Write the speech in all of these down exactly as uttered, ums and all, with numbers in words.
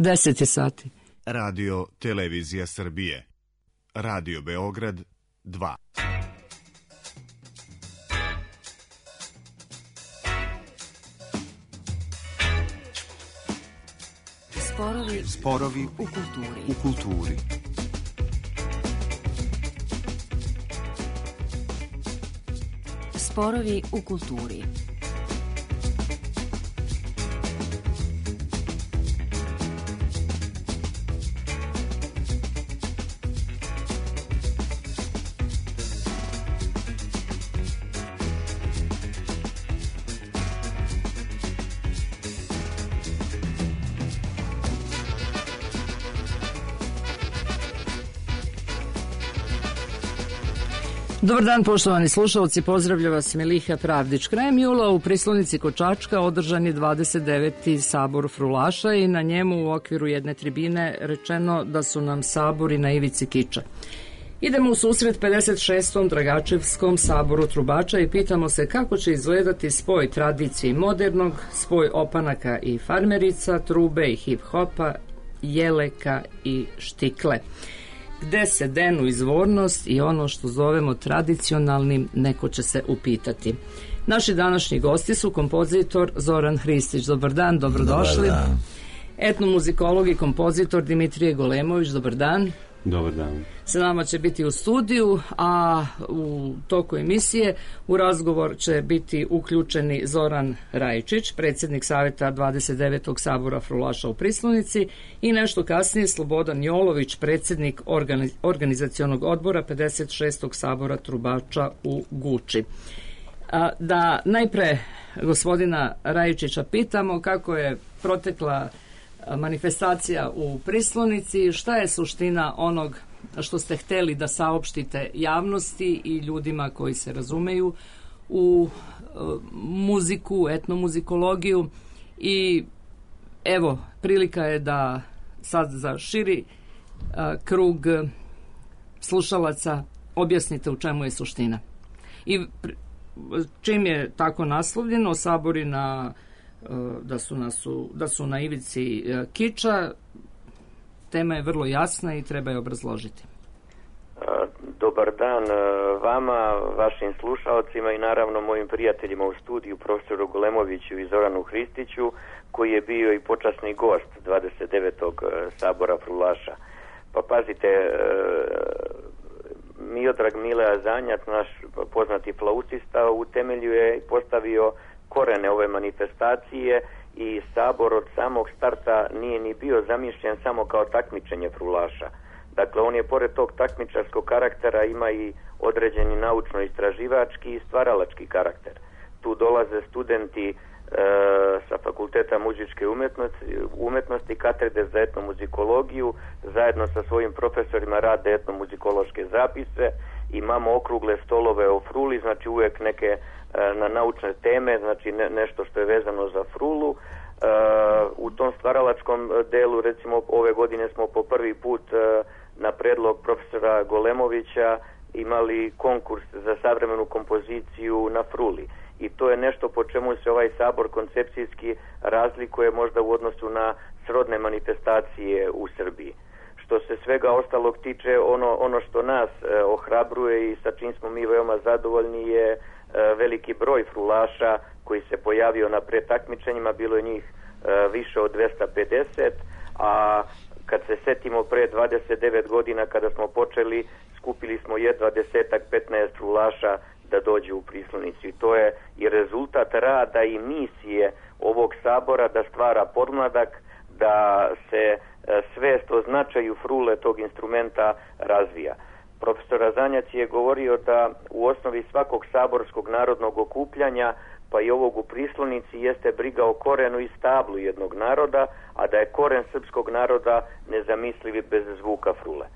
deset je sati. Radio Televizija Srbije. Radio Beograd dva. Sporovi, Sporovi u kulturi. u kulturi. Sporovi u kulturi. Dobar dan, poštovani slušalci, pozdravlja vas Miliha Pravdić. Krajem jula u Prislonici kod Čačka održan je dvadeset deveti sabor frulaša i na njemu u okviru jedne tribine rečeno da su nam sabori na ivici kiča. Idemo u susret pedeset šestom Dragačevskom saboru trubača i pitamo se kako će izgledati spoj tradicije i modernog, spoj opanaka i farmerica, trube i hip-hopa, jeleka i štikle. Gde se denu izvornost i ono što zovemo tradicionalnim, neko će se upitati. Naši današnji gosti su kompozitor Zoran Hristić. Dobar dan, dobrodošli. Dobar dan. Etnomuzikolog i kompozitor Dimitrije Golemović. Dobar dan. Dobar dan. Sa nama će biti u studiju, a u toku emisije u razgovor će biti uključeni Zoran Rajičić, predsjednik Saveta dvadeset devetog sabora frulaša u Prislonici, i nešto kasnije Slobodan Jolović, predsjednik organiz organizacionog odbora pedeset šestog sabora trubača u Guči. A, da najpre gospodina Rajičića pitamo kako je protekla manifestacija u Prislonici, šta je suština onog što ste hteli da saopštite javnosti i ljudima koji se razumeju u muziku, etnomuzikologiju, i evo, prilika je da sad za širi a, krug slušalaca objasnite u čemu je suština. I čim je tako naslovljeno, sabori na Da su, nas u, da su na ivici kiča, tema je vrlo jasna i treba je obrazložiti. Dobar dan vama, vašim slušalcima i naravno mojim prijateljima u studiju, profesoru Golemoviću i Zoranu Hristiću, koji je bio i počasni gost dvadeset devetog sabora frulaša. Pa pazite, Miodrag Mile Azanjac, naš poznati flautista, utemeljuje i postavio korene ove manifestacije i sabor od samog starta nije ni bio zamišljen samo kao takmičenje frulaša. Dakle, on je pored tog takmičarskog karaktera ima i određeni naučno-istraživački i stvaralački karakter. Tu dolaze studenti e, sa Fakulteta muzičke umetnosti, umetnosti, katedre za etnomuzikologiju, zajedno sa svojim profesorima rade etnomuzikološke zapise, imamo okrugle stolove o fruli, znači uvijek neke na naučne teme, znači ne, nešto što je vezano za frulu. Uh, u tom stvaralačkom delu, recimo ove godine smo po prvi put uh, na predlog profesora Golemovića imali konkurs za savremenu kompoziciju na fruli. I to je nešto po čemu se ovaj sabor koncepcijski razlikuje možda u odnosu na srodne manifestacije u Srbiji. Što se svega ostalog tiče, ono, ono što nas eh, ohrabruje i sa čim smo mi veoma zadovoljni je eh, veliki broj frulaša koji se pojavio na pretakmičenjima, bilo je njih eh, više od dvesta pedeset, a kad se setimo pre dvadeset devet godina kada smo počeli, skupili smo jedva desetak, petnaest frulaša da dođu u Prislonicu. I to je i rezultat rada i misije ovog sabora da stvara podmladak, da se svest o značaju frule tog instrumenta razvija. Profesor Azanjac je govorio da u osnovi svakog saborskog narodnog okupljanja, pa i ovog u Prislonici, jeste briga o korenu i stablu jednog naroda, a da je koren srpskog naroda nezamisliv bez zvuka frule.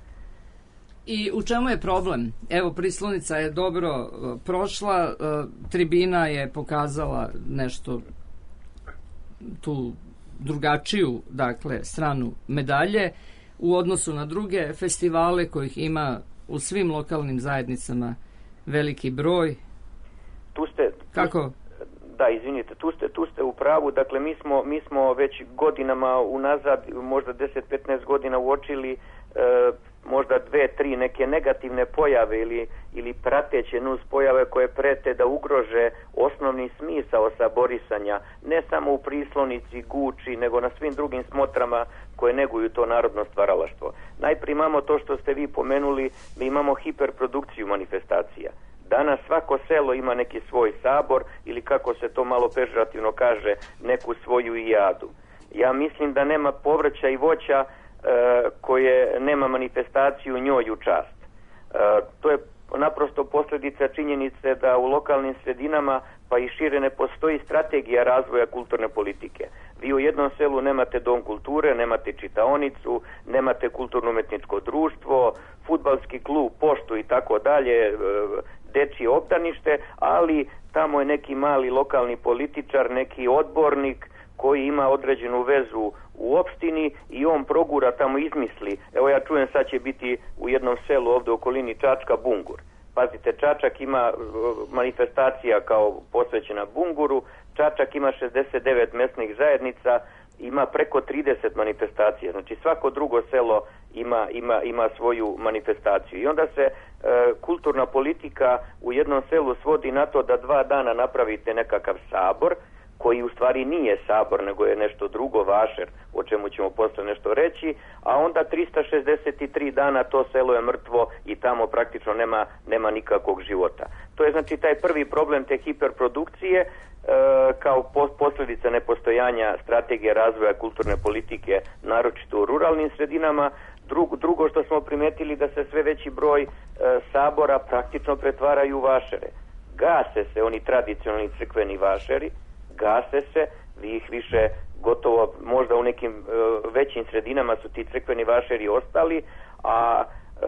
I u čemu je problem? Evo, Prislonica je dobro uh, prošla, uh, tribina je pokazala nešto tu drugačiju, dakle, stranu medalje u odnosu na druge festivale kojih ima u svim lokalnim zajednicama veliki broj. Tu ste... Kako? Da, izvinite, tu ste, tu ste u pravu. Dakle, mi smo, mi smo već godinama unazad, možda deset do petnaest godina uočili e, možda dve, tri neke negativne pojave ili, ili prateće nus pojave koje prete da ugrože osnovni smisao saborisanja, ne samo u Prislonici, Guči, nego na svim drugim smotrama koje neguju to narodno stvaralaštvo. Najprije imamo to što ste vi pomenuli, mi imamo hiperprodukciju manifestacija. Danas svako selo ima neki svoj sabor ili kako se to malo pežurativno kaže, neku svoju ijadu. Ja mislim da nema povrća i voća e, koje nema manifestaciju njoj u čast. E, to je naprosto posljedica činjenice da u lokalnim sredinama pa i šire ne postoji strategija razvoja kulturne politike. Vi u jednom selu nemate dom kulture, nemate čitaonicu, nemate kulturno-umetničko društvo, fudbalski klub, poštu i tako dalje, dečije obdanište, ali tamo je neki mali lokalni političar, neki odbornik koji ima određenu vezu u opštini i on progura tamo, izmisli. Evo ja čujem sad će biti u jednom selu ovdje u okolini Čačka bungur. Pazite, Čačak ima manifestacija kao posvećena bunguru, Čačak ima šezdeset devet mesnih zajednica, ima preko trideset manifestacija, znači svako drugo selo ima, ima, ima svoju manifestaciju. I onda se e, kulturna politika u jednom selu svodi na to da dva dana napravite nekakav sabor, koji u stvari nije sabor, nego je nešto drugo, vašer, o čemu ćemo poslije nešto reći, a onda trista šezdeset tri dana to selo je mrtvo i tamo praktično nema, nema nikakvog života. To je znači taj prvi problem te hiperprodukcije, e, kao po, posljedica nepostojanja strategije razvoja kulturne politike, naročito u ruralnim sredinama. Drugo, drugo što smo primetili da se sve veći broj e, sabora praktično pretvaraju u vašere. Gase se oni tradicionalni crkveni vašeri, gase se, vi ih više gotovo, možda u nekim e, većim sredinama su ti crkveni vašeri ostali, a e,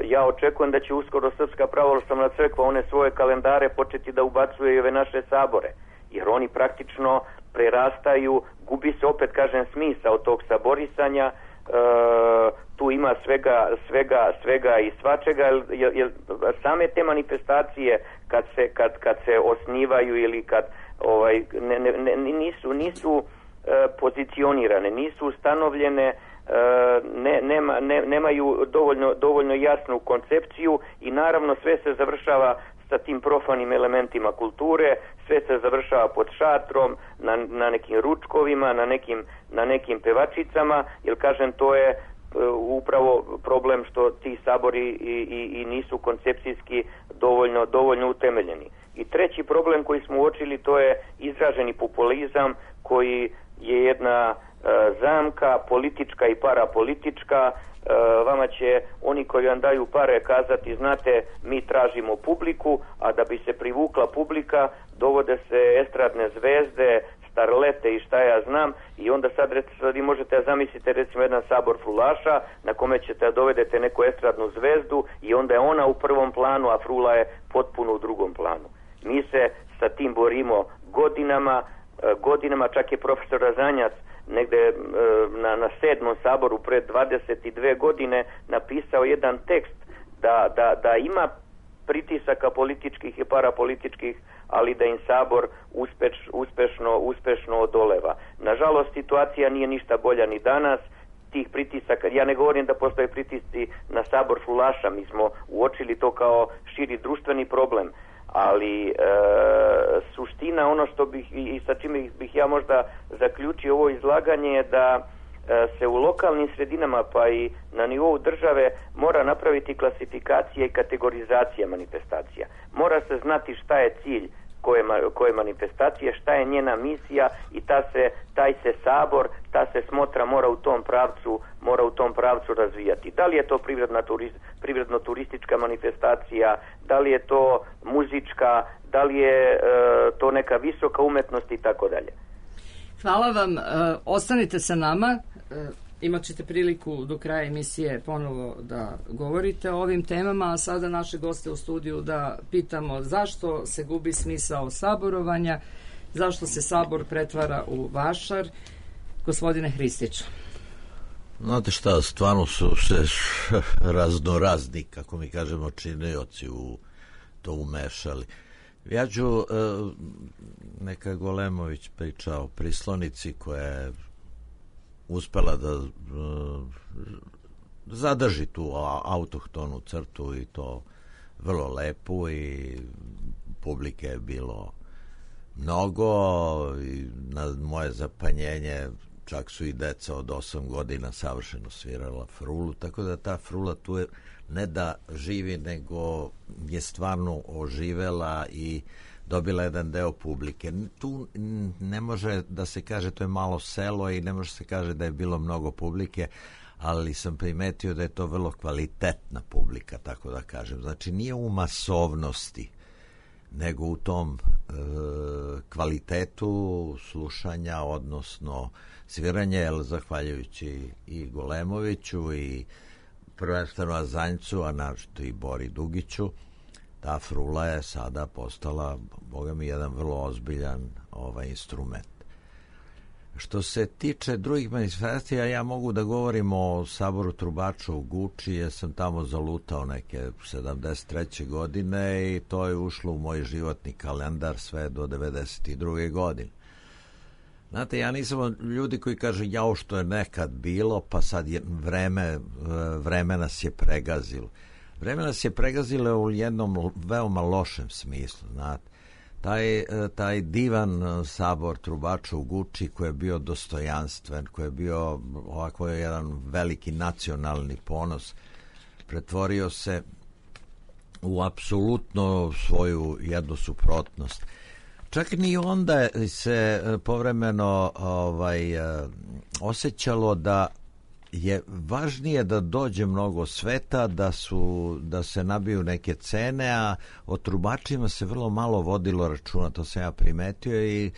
ja očekujem da će uskoro Srpska pravoslavna crkva one svoje kalendare početi da ubacuje i ove naše sabore, jer oni praktično prerastaju, gubi se opet, kažem, smisao tog saborisanja. E, tu ima svega, svega, svega i svačega, jer, jer same te manifestacije kad se, kad, kad se osnivaju ili kad ovaj, ne, ne, nisu, nisu e, pozicionirane, nisu ustanovljene, e, ne, nema, ne, nemaju dovoljno, dovoljno jasnu koncepciju i naravno sve se završava sa tim profanim elementima kulture, sve se završava pod šatrom, na, na nekim ručkovima, na nekim, na nekim pevačicama, jer kažem to je upravo problem što ti sabori i, i, i nisu koncepcijski dovoljno, dovoljno utemeljeni. I treći problem koji smo uočili, to je izraženi populizam koji je jedna e, zamka politička i parapolitička. E, vama će oni koji vam daju pare kazati, znate, mi tražimo publiku, a da bi se privukla publika dovode se estradne zvezde, starlete i šta ja znam, i onda sad, sad vi možete zamislite recimo jedan sabor frulaša na kome ćete dovedete neku estradnu zvezdu i onda je ona u prvom planu, a frula je potpuno u drugom planu. Mi se sa tim borimo godinama, godinama, čak je profesor Razanjac negde na, na sedmom saboru pred dvadeset dve godine napisao jedan tekst da, da, da ima pritisaka političkih i parapolitičkih, ali da im sabor uspeš, uspešno, uspešno odoleva. Nažalost, situacija nije ništa bolja ni danas. Tih pritisaka, ja ne govorim da postoje pritisci na sabor frulaša, mi smo uočili to kao širi društveni problem, ali e, suština, ono što bih i sa čime bih ja možda zaključio ovo izlaganje je da e, se u lokalnim sredinama pa i na nivou države mora napraviti klasifikacija i kategorizacija manifestacija. Mora se znati šta je cilj koje, koje manifestacije, šta je njena misija i ta se, taj se sabor, ta se smotra mora u tom pravcu, mora u tom pravcu razvijati. Da li je to privredna turist, privredno-turistička manifestacija, da li je to muzička, da li je e, to neka visoka umetnost i tako dalje. Hvala vam, e, ostanite sa nama, e, imat ćete priliku do kraja emisije ponovo da govorite o ovim temama, a sada naše goste u studiju da pitamo zašto se gubi smisao saborovanja, zašto se sabor pretvara u vašar. Gospodine Hristić. Znate šta, stvarno su se raznorazni, kako mi kažemo, činioci u to umešali. Ja ću, neka Golemović priča o prislonici koja je uspela da zadrži tu autohtonu crtu i to vrlo lepu i publike je bilo mnogo i na moje zapanjenje čak su i deca od osam godina savršeno svirala frulu, tako da ta frula tu je ne da živi, nego je stvarno oživela i dobila jedan deo publike. Tu ne može da se kaže, to je malo selo i ne može se kaže da je bilo mnogo publike, ali sam primetio da je to vrlo kvalitetna publika, tako da kažem. Znači nije u masovnosti, nego u tom e, kvalitetu slušanja, odnosno sviranje, jer zahvaljujući i Golemoviću i prvenstveno Azanjcu, a našto i Bori Dugiću, ta frula je sada postala, boga mi, jedan vrlo ozbiljan ovaj instrument. Što se tiče drugih manifestacija, ja mogu da govorim o Saboru trubača u Guči, jer sam tamo zalutao neke sedamdeset treće godine i to je ušlo u moj životni kalendar sve do devedeset druge godine. Znate, ja nisam ljudi koji kaže jao što je nekad bilo, pa sad je vreme, vreme nas je pregazilo. Vreme nas je pregazilo u jednom veoma lošem smislu, znate. Taj, taj divan sabor trubača u Guči koji je bio dostojanstven, koji je bio ovako jedan veliki nacionalni ponos, pretvorio se u apsolutno svoju jednu suprotnost. Čak ni onda se povremeno ovaj, osjećalo da je važnije da dođe mnogo sveta, da su da se nabiju neke cene, a o trubačima se vrlo malo vodilo računa, to sam ja primetio i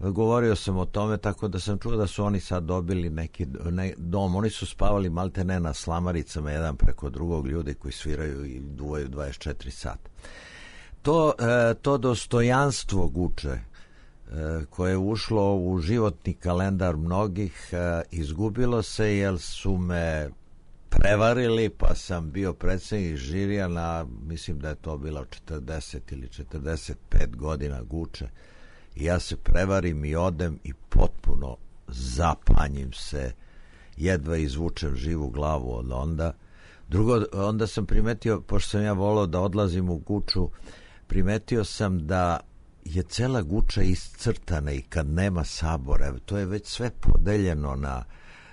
govorio sam o tome, tako da sam čuo da su oni sad dobili neki ne, dom, oni su spavali malte ne na slamaricama jedan preko drugog, ljudi koji sviraju i duvaju dvadeset četiri sata. To, to dostojanstvo Guče koje je ušlo u životni kalendar mnogih, izgubilo se jer su me prevarili, pa sam bio predsjednik žirija na, mislim da je to bilo četrdeset ili četrdeset pet godina Guče, i ja se prevarim i odem i potpuno zapanjim se, jedva izvučem živu glavu od onda. Drugo, onda sam primetio, pošto sam ja volao da odlazim u Guču, primetio sam da je cela Guča iscrtana i kad nema sabora, to je već sve podeljeno na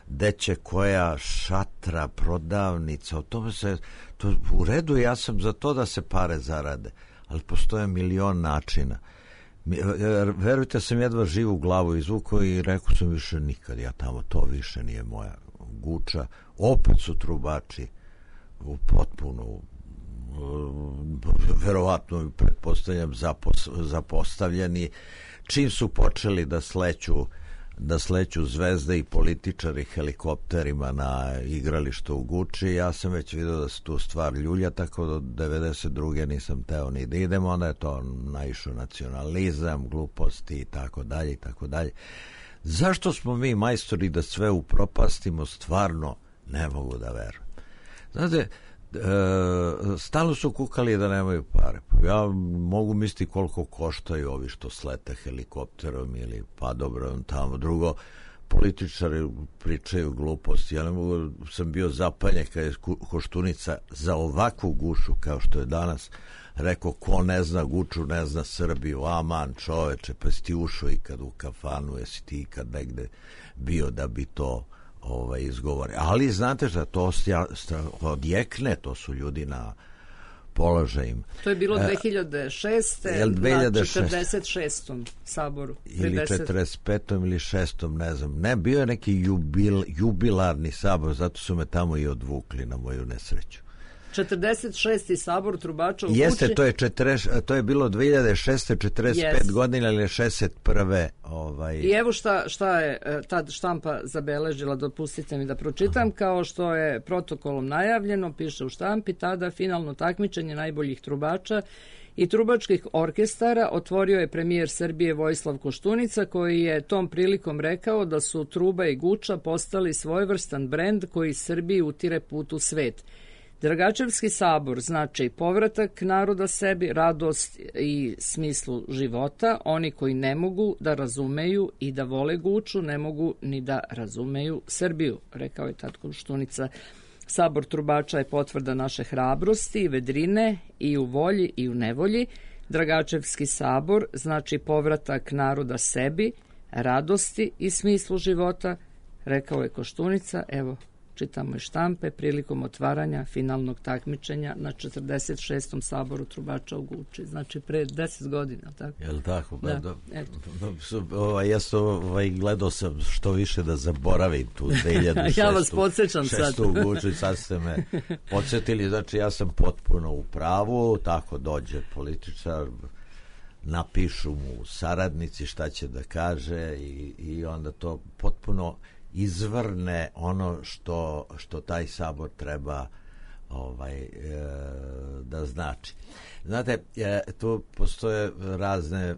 deće koja šatra, prodavnica, o tome se, to u redu, ja sam za to da se pare zarade, ali postoje milion načina. Verujte, sam jedva živu glavu izvukao i rekao sam više nikad, ja tamo, to više nije moja Guča. Opet su trubači u potpuno verovatno pretpostavljam zapos, zapostavljeni. Čim su počeli da sleću da sleću zvezde i političari helikopterima na igralištu u Guči, ja sam već vidio da se tu stvar ljulja, tako do devedeset druge nisam teo ni da idem, onda je to naišao nacionalizam, gluposti i tako dalje i tako dalje. Zašto smo mi majstori da sve upropastimo, stvarno ne mogu da verujem. Znate, E, stalno su kukali da nemaju pare. Ja mogu misliti koliko koštaju ovi što slete helikopterom ili pa dobro tamo. Drugo, političari pričaju gluposti. Ja ne mogu, sam bio zapaljen kad je Koštunica za ovakvu Gušu kao što je danas rekao, ko ne zna Guču ne zna Srbiju. Aman čoveče, pa si ti ušao ikad u kafanu, jesi ti ikad negde bio da bi to ovaj, izgovore. Ali znate šta, to odjekne, to su ljudi na položajima. To je bilo dve hiljade šeste. na četrdeset šestom saboru. Ili četrdeset petom ili šestom, ne znam. Ne, bio je neki jubil, jubilarni sabor, zato su me tamo i odvukli na moju nesreću. četrdeset šesti sabor trubača u Guči. Jeste, to je, četrdeset, to je bilo dve hiljade šeste. četrdeset pet yes. godina ili šezdeset prve. Ovaj... I evo šta, šta je tad štampa zabeležila, dopustite mi da pročitam. Aha. Kao što je protokolom najavljeno, piše u štampi, tada finalno takmičenje najboljih trubača i trubačkih orkestara otvorio je premijer Srbije Vojislav Koštunica, koji je tom prilikom rekao da su truba i Guča postali svojevrstan brend koji Srbiji utire put u svet. Dragačevski sabor znači povratak naroda sebi, radost i smislu života. Oni koji ne mogu da razumeju i da vole Guču, ne mogu ni da razumeju Srbiju, rekao je tad Koštunica. Sabor trubača je potvrda naše hrabrosti i vedrine i u volji i u nevolji. Dragačevski sabor znači povratak naroda sebi, radosti i smislu života, rekao je Koštunica. Evo, čitamo i štampe prilikom otvaranja finalnog takmičenja na četrdeset šestom saboru trubača u Guči. Znači pre deset godina, tako? Jel tako? Da, da, eto. Ovaj, ja sam ovaj, gledao sam što više da zaboravim tu dve hiljade šestu. Ja vas podsjećam sad. u Guči, sad ste me podsjetili. Znači ja sam potpuno u pravu, tako dođe političar, napišu mu saradnici šta će da kaže i, i onda to potpuno izvrne ono što, što taj sabor treba ovaj, e, da znači. Znate, e, tu postoje razne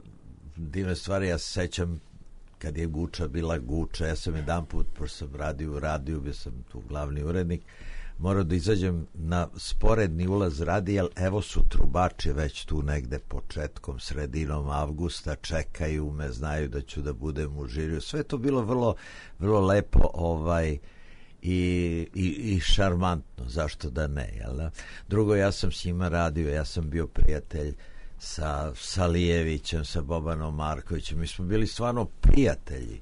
divne stvari. Ja se sećam kad je Guča bila Guča, ja sam jedan put, pošto sam radio u radiju, bio sam tu glavni urednik, morao da izađem na sporedni ulaz radija, evo su trubači već tu negde početkom, sredinom avgusta, čekaju me, znaju da ću da budem u žiriju. Sve to bilo vrlo, vrlo lepo ovaj, i, i, i šarmantno, zašto da ne, jel da? Drugo, ja sam s njima radio, ja sam bio prijatelj sa Salijevićem, sa Bobanom Markovićem, mi smo bili stvarno prijatelji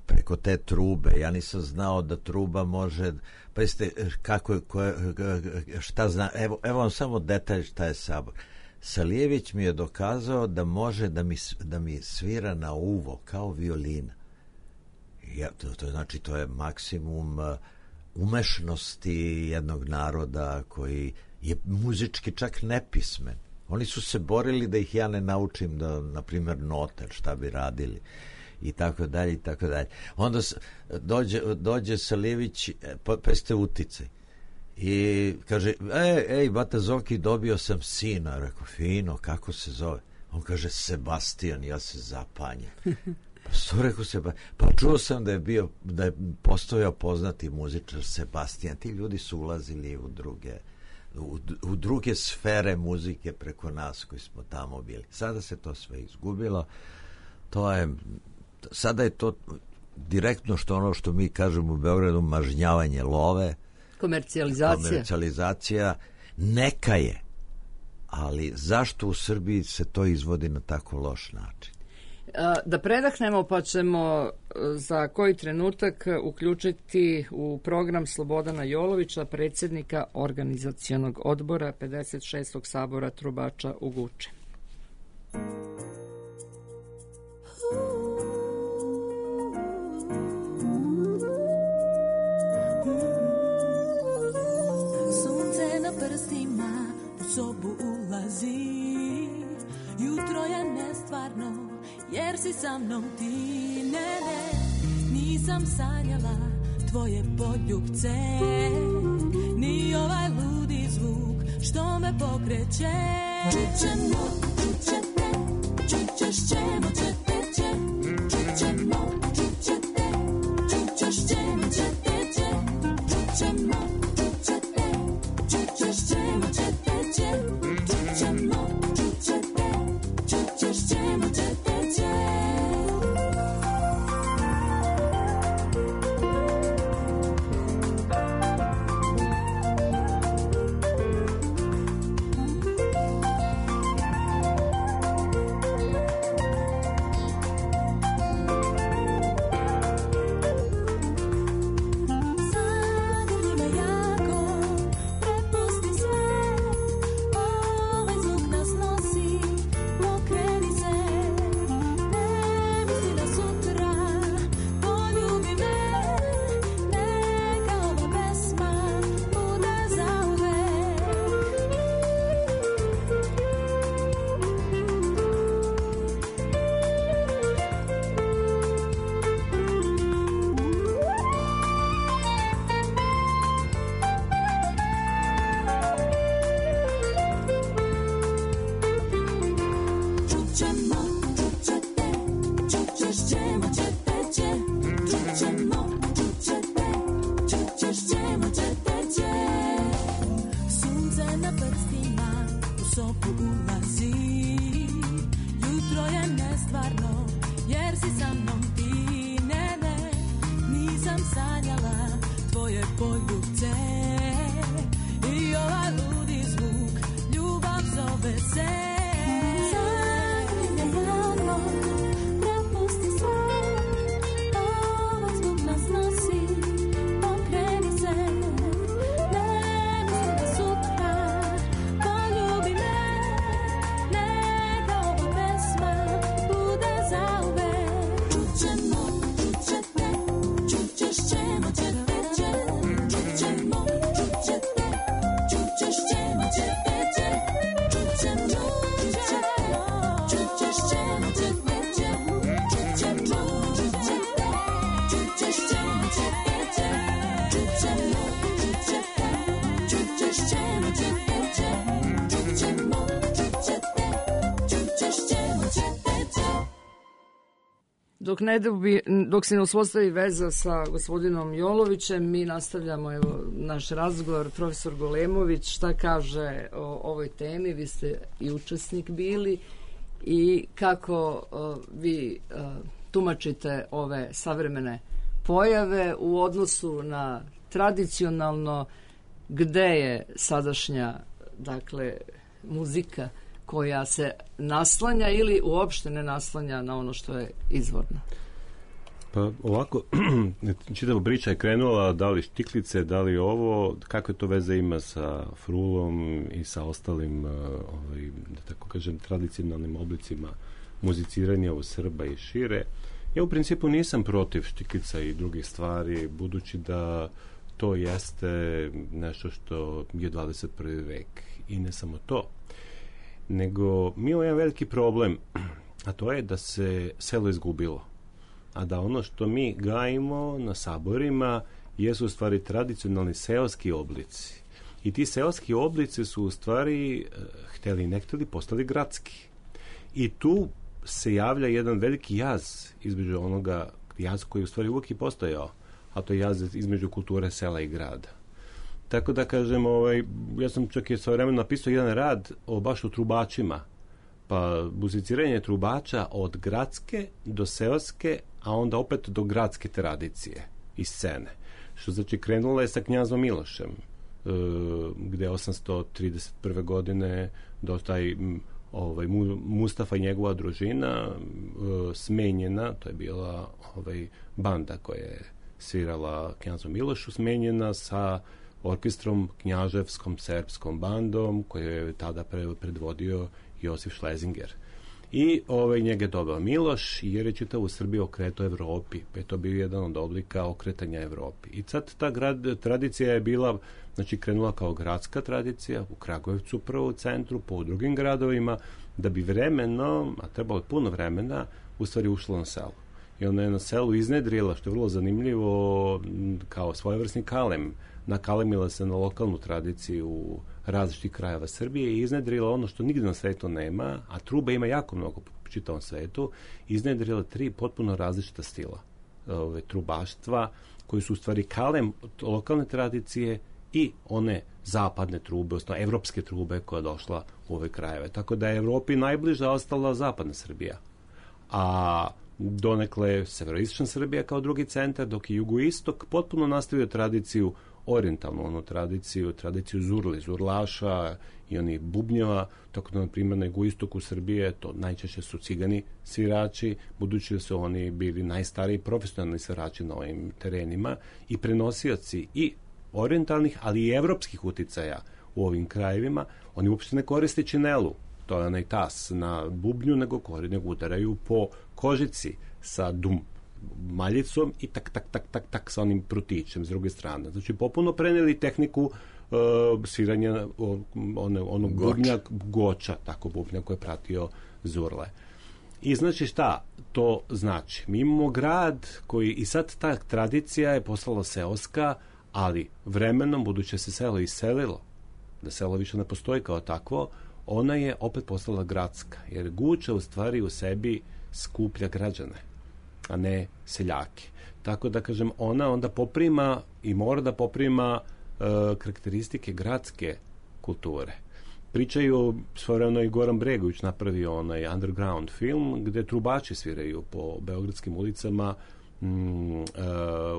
preko te trube. Ja nisam znao da truba može, pa jeste kako je, ko, šta zna, evo, evo vam samo detalj šta je sabor. Salijević mi je dokazao da može da mi, da mi svira na uvo kao violina. Ja, to, to znači to je maksimum umešnosti jednog naroda koji je muzički čak nepismen. Oni su se borili da ih ja ne naučim da, na primjer, note, šta bi radili i tako dalje i tako dalje. Onda dođe, dođe Salijević, pa, pa ste uticaj i kaže, ej, ej, Bata Zoki, dobio sam sina. Rekao, fino, kako se zove? On kaže, Sebastian. Ja se zapanjem. Pa što rekao Sebastian? Pa čuo sam da je bio, da je postojao poznati muzičar Sebastian. Ti ljudi su ulazili u druge U, u druge sfere muzike preko nas koji smo tamo bili. Sada se to sve izgubilo. To je, sada je to direktno što ono što mi kažemo u Beogradu, mažnjavanje love, komercijalizacija. Komercijalizacija neka je, ali zašto u Srbiji se to izvodi na tako loš način? Da predahnemo, pa ćemo za koji trenutak uključiti u program Slobodana Jolovića, predsjednika organizacionog odbora pedeset šestog sabora trubača u Guči. Sunce na prstima u sobu ulazi, jutro je nestvarno, jer si sa mnom ti, ne, ne, nisam sanjala tvoje poljubce, ni ovaj ludi zvuk što me pokreće. Čućemo, čućete, čućeš ćemo, ćete će, čućemo, čućete, čućeš ćemo, ćete će, čućemo, čućete, čućeš ćemo, ćete će, čućemo, čućete, čućeš ćemo, ćete će. na prstima u sobu ulazi. Jutro je nestvarno, jer si sa mnom ti. Ne, ne, nisam sanjala tvoje poljubce. I ovaj ludi zvuk, ljubav zove se. Zagrljene rano, prepusti sve. Ovaj zvuk nas nosi, pokreni se. Ne mislim da sutra, poljubi me. Neka ova pesma bude zauvek. Čućemo, čućete, čućeš ćemo, ćete će. Čućemo, čućete, čućeš ćemo, ćete će. Čućemo, čućete, čućeš ćemo, ćete će. Čućemo, čućete, čućeš ćemo, ćete će. Čućemo, čućete, čućeš ćemo, ćete će. Čućemo, čućete, čućeš ćemo, ćete će. Dok, ne dobi, dok se ne uspostavi veza sa gospodinom Jolovićem, mi nastavljamo evo, naš razgovor. Profesor Golemović, šta kaže o ovoj temi? Vi ste i učesnik bili i kako o, vi o, tumačite ove savremene pojave u odnosu na tradicionalno, gde je sadašnja, dakle, muzika koja se naslanja ili uopšte ne naslanja na ono što je izvorno? Pa ovako, čitava priča je krenula, da li štiklice, da li ovo, kakve to veze ima sa frulom i sa ostalim, ovaj, da tako kažem, tradicionalnim oblicima muziciranja u Srba i šire. Ja u principu nisam protiv štiklica i drugih stvari, budući da to jeste nešto što je dvadeset prvi vek i ne samo to, nego mi imamo jedan veliki problem, a to je da se selo izgubilo, a da ono što mi gajimo na saborima jesu u stvari tradicionalni seoski oblici. I ti seoski oblici su u stvari, hteli ne hteli, postali gradski. I tu se javlja jedan veliki jaz između onoga, jaz koji u stvari uvijek i postojao, a to je jaz između kulture sela i grada. Tako da kažem, ovaj, ja sam čak i sa vremenom napisao jedan rad o baš o trubačima, pa muziciranje trubača od gradske do seoske, a onda opet do gradske tradicije i scene. Što znači krenulo je sa knjazom Milošem, e, gde je osamsto trideset prve godine dostaje ovaj, Mustafa i njegova družina e, smenjena, to je bila ovaj, banda koja je svirala knjazu Milošu, smenjena sa orkestrom knjaževskom srpskom bandom koju je tada predvodio Josif Šlezinger. I ovaj, njega je dobao Miloš jer je čitavu Srbiju okretao Evropi, pa je to bio jedan od oblika okretanja Evropi. I sad ta grad, tradicija je bila, znači krenula kao gradska tradicija u Kragujevcu prvo u centru, po drugim gradovima, da bi vremeno, a trebalo puno vremena, u stvari ušlo na selo. I ona je na selu iznedrila, što je vrlo zanimljivo, kao svojevrsni kalem, nakalemila se na lokalnu tradiciju različitih krajeva Srbije i iznedrila ono što nigde na svetu nema, a truba ima jako mnogo po čitavom svetu, iznedrila tri potpuno različita stila ove, trubaštva, koji su u stvari kalem lokalne tradicije i one zapadne trube, odnosno evropske trube koja je došla u ove krajeve. Tako da je Evropi najbliža ostala zapadna Srbija. A donekle severoistočna Srbija kao drugi centar, dok je jugoistok potpuno nastavio tradiciju, orijentalnu onu tradiciju, tradiciju zurli, zurlaša i onih bubnjeva, tako da na primjer na jugoistoku Srbije to najčešće su cigani svirači, budući da su oni bili najstariji profesionalni svirači na ovim terenima i prenosioci i orijentalnih, ali i evropskih uticaja u ovim krajevima. Oni uopšte ne koriste činelu, to je onaj tas na bubnju, nego, nego udaraju po kožici sa dum maljicom i tak, tak, tak, tak, tak sa onim prutićem s druge strane. Znači, popuno preneli tehniku uh, sviranja one, onog Goč. bubnja, goča, tako bubnja koji je pratio zurle. I znači šta to znači? Mi imamo grad koji, i sad ta tradicija je postala seoska, ali vremenom, budući se selo iselilo, da selo više ne postoji kao takvo, ona je opet postala gradska, jer Guča u stvari u sebi skuplja građane, a ne seljake. Tako da, kažem, ona onda poprima i mora da poprima e, karakteristike gradske kulture. Pričaju, svojevremeno i Goran Bregović napravio onaj underground film gde trubači sviraju po beogradskim ulicama mm, uh,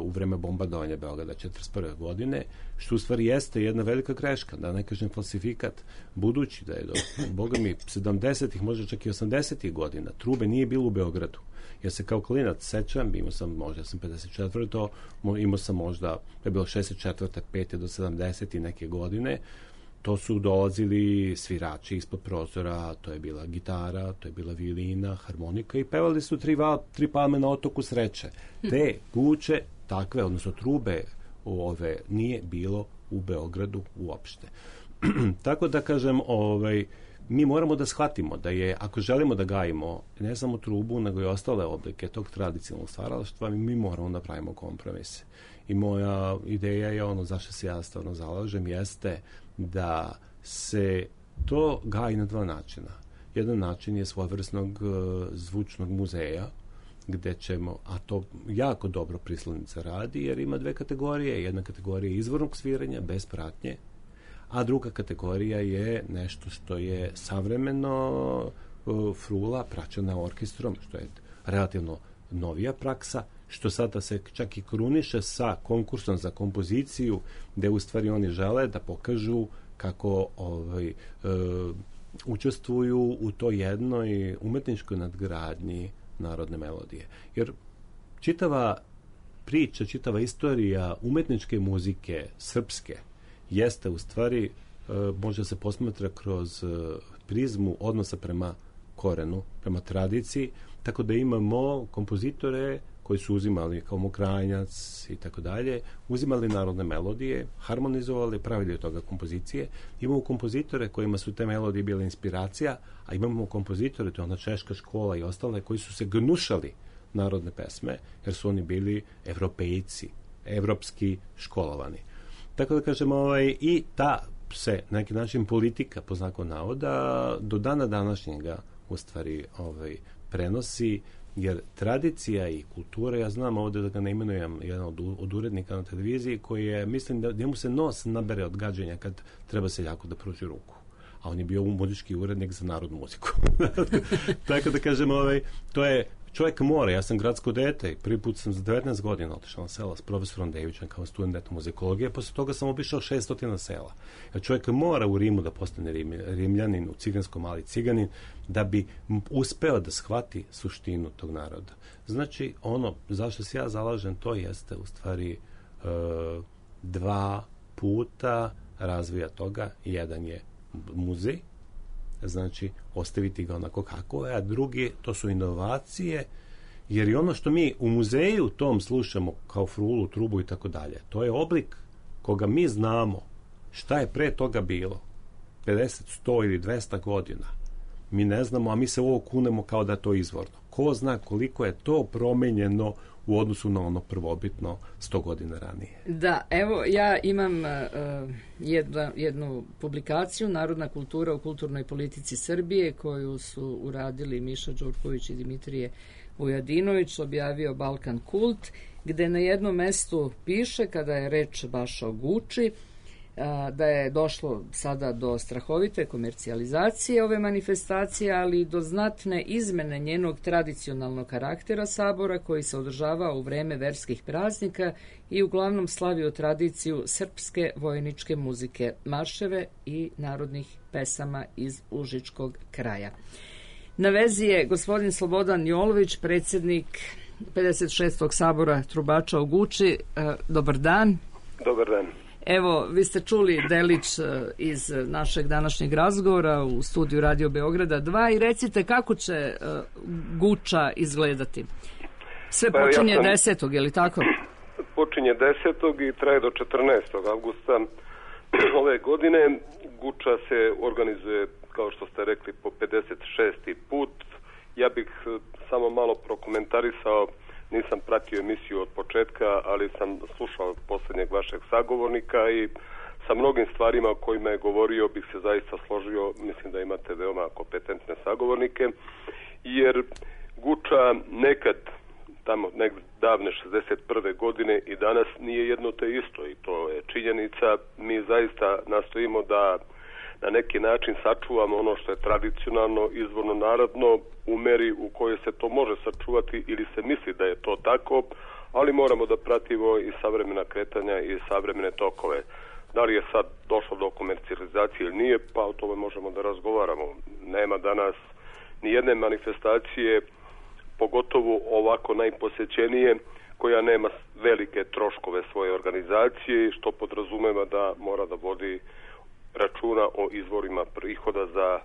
u vreme bombardovanja Beograda četrdeset prve godine, što u stvari jeste jedna velika greška, da ne kažem falsifikat, budući da je do, boga mi, sedamdesetih, možda čak i osamdesetih godina, trube nije bilo u Beogradu. Ja se kao klinac sećam, imao sam, možda sam pedeset četvrte imao sam možda, je bilo šezdeset četvrte pete do sedamdeset neke godine, to su dolazili svirači ispod prozora, to je bila gitara, to je bila violina, harmonika i pevali su tri, val, tri palme na otoku sreće. Te kuće, takve, odnosno trube ove, nije bilo u Beogradu uopšte. Tako da kažem, ovaj, mi moramo da shvatimo da je, ako želimo da gajimo ne samo trubu, nego i ostale oblike tog tradicionalnog stvaralaštva, mi moramo da pravimo kompromise. I moja ideja je ono zašto se ja stvarno zalažem, jeste da se to gaji na dva načina. Jedan način je svojevrsnog uh, zvučnog muzeja, gde ćemo, a to jako dobro Prislanica radi, jer ima dve kategorije. Jedna kategorija je izvornog sviranja, bez pratnje, a druga kategorija je nešto što je savremeno uh, frula praćena orkestrom, što je relativno novija praksa, što sada se čak i kruniše sa konkursom za kompoziciju, gde u stvari oni žele da pokažu kako ovaj, e, učestvuju u toj jednoj umetničkoj nadgradnji narodne melodije. Jer čitava priča, čitava istorija umetničke muzike srpske jeste u stvari, e, može se posmatra kroz e, prizmu odnosa prema korenu, prema tradiciji, tako da imamo kompozitore koji su uzimali kao Mokranjac i tako dalje, uzimali narodne melodije, harmonizovali, pravili od toga kompozicije. Imamo kompozitore kojima su te melodije bile inspiracija, a imamo kompozitore, to je ona češka škola i ostale, koji su se gnušali narodne pesme, jer su oni bili evropejci, evropski školovani. Tako da kažemo, ovaj, i ta se, na neki način, politika, po znaku navoda, do dana današnjega, u stvari, ovaj, prenosi, jer tradicija i kultura, ja znam ovdje da ga ne imenujem jedan od, od urednika na televiziji, koji je, mislim da njemu se nos nabere od gađenja kad treba seljaku da pruži ruku. A on je bio muzički urednik za narodnu muziku. Tako da kažem, ovaj, to je čovjek mora, ja sam gradsko dete, prvi put sam za devetnaest godina otišao na sela s profesorom Devićem kao student etnomuzikologije, posle toga sam obišao šeststo sela. Ja čovjek mora u Rimu da postane rim, rimljanin, u Ciganskom mali ciganin, da bi uspeo da shvati suštinu tog naroda. Znači, ono zašto se ja zalažem, to jeste u stvari e, dva puta razvoja toga. Jedan je muzej, znači ostaviti ga onako kako je, a drugi, to su inovacije, jer i ono što mi u muzeju tom slušamo kao frulu, trubu i tako dalje, to je oblik koga mi znamo šta je pre toga bilo pedeset, sto ili dvesta godina. Mi ne znamo, a mi se ovo kunemo kao da je to izvorno. Ko zna koliko je to promenjeno u odnosu na ono prvobitno sto godina ranije. Da, evo ja imam uh, jedna, jednu publikaciju Narodna kultura u kulturnoj politici Srbije, koju su uradili Miša Đurković i Dimitrije Vujadinović, objavio Balkan Kult, gde na jednom mestu piše, kada je reč baš o Guči, da je došlo sada do strahovite komercijalizacije ove manifestacije, ali i do znatne izmene njenog tradicionalnog karaktera sabora, koji se održava u vreme verskih praznika i uglavnom slavio tradiciju srpske vojničke muzike, marševe i narodnih pesama iz Užičkog kraja. Na vezi je gospodin Slobodan Jolović, predsjednik pedeset šestog sabora trubača u Guči. Dobar dan. Dobar dan. Evo, vi ste čuli delić iz našeg današnjeg razgovora u studiju Radio Beograda dva i recite kako će Guča izgledati. Sve počinje ja sam, desetog, je li tako? Počinje desetog i traje do četrnaestog avgusta ove godine. Guča se organizuje, kao što ste rekli, po pedeset šesti put. Ja bih samo malo prokomentarisao. Nisam pratio emisiju od početka, ali sam slušao posljednjeg vašeg sagovornika i sa mnogim stvarima o kojima je govorio bih se zaista složio. Mislim da imate veoma kompetentne sagovornike, jer Guča nekad, tamo nek davne šezdeset prve godine i danas nije jedno te isto i to je činjenica. Mi zaista nastojimo da na neki način sačuvamo ono što je tradicionalno, izvorno narodno, u meri u kojoj se to može sačuvati ili se misli da je to tako, ali moramo da pratimo i savremena kretanja i savremene tokove. Da li je sad došlo do komercijalizacije ili nije, pa o tome možemo da razgovaramo. Nema danas ni jedne manifestacije, pogotovo ovako najposećenije, koja nema velike troškove svoje organizacije, što podrazumeva da mora da vodi računa o izvorima prihoda za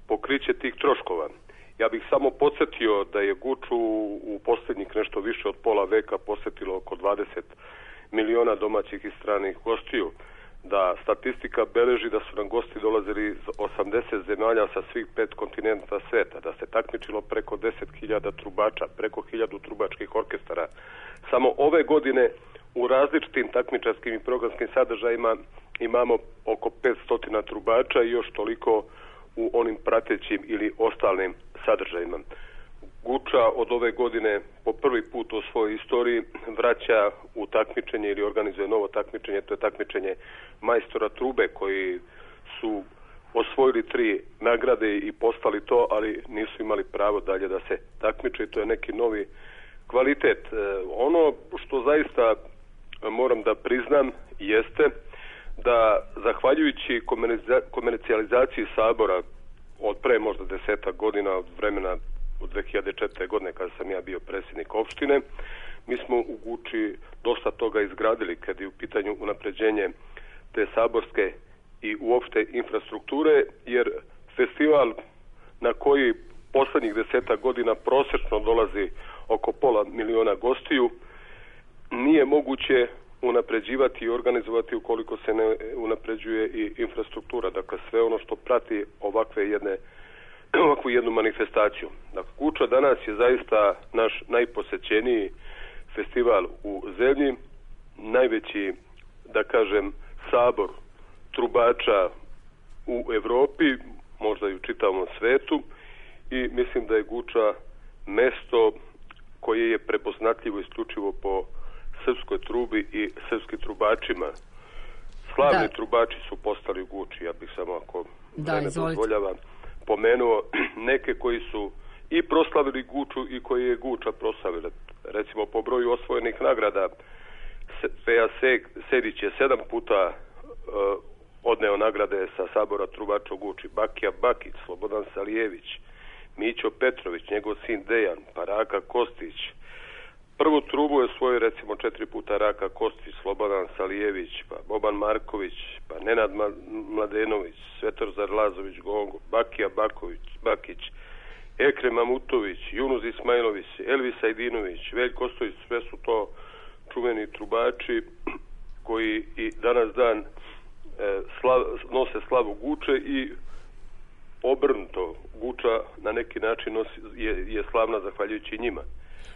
pokriće tih troškova. Ja bih samo podsjetio da je Guču u posljednjih nešto više od pola veka posjetilo oko dvadeset miliona domaćih i stranih gostiju, da statistika beleži da su nam gosti dolazili iz osamdeset zemalja sa svih pet kontinenta sveta, da se takmičilo preko deset hiljada trubača, preko hiljadu trubačkih orkestara. Samo ove godine u različitim takmičarskim i programskim sadržajima imamo oko petsto trubača i još toliko u onim pratećim ili ostalim sadržajima. Guča od ove godine po prvi put u svojoj istoriji vraća u takmičenje ili organizuje novo takmičenje, to je takmičenje majstora trube koji su osvojili tri nagrade i postali to, ali nisu imali pravo dalje da se takmiče. To je neki novi kvalitet. Ono što zaista moram da priznam jeste da zahvaljujući komercijalizaciji Sabora od pre možda desetak godina, od vremena od dve hiljade četvrte. godine kada sam ja bio predsjednik opštine, mi smo u Guči dosta toga izgradili kad je u pitanju unapređenje te saborske i uopšte infrastrukture, jer festival na koji poslednjih desetak godina prosječno dolazi oko pola miliona gostiju, nije moguće unapređivati i organizovati ukoliko se ne unapređuje i infrastruktura. Dakle, sve ono što prati ovakve jedne ovakvu jednu manifestaciju. Dakle, Guča danas je zaista naš najposećeniji festival u zemlji, najveći, da kažem, sabor trubača u Evropi, možda i u čitavom svetu, i mislim da je Guča mesto koje je prepoznatljivo isključivo po srpskoj trubi i srpskim trubačima. Slavni da. trubači su postali u Guči, ja bih samo ako da, ne dozvoljava pomenuo neke koji su i proslavili Guču i koji je Guča proslavila. Recimo po broju osvojenih nagrada Feja Sedić je sedam puta uh, odneo nagrade sa Sabora trubača u Guči. Bakija Bakić, Slobodan Salijević, Mićo Petrović, njegov sin Dejan, pa Raka Kostić. Prvu trubu je svoju recimo četiri puta Raka Kostić, Slobodan Salijević, pa Boban Marković, pa Nenad Mladenović, Svetozar Lazović Gongo, Bakija Baković, Bakić, Ekrem Mamutović, Junuz Ismailović, Elvis Ajdinović, Veljko Ostojić, sve su to čuveni trubači koji i danas dan e, slav, nose slavu Guče i obrnuto. Guča na neki način nosi, je, je slavna zahvaljujući njima.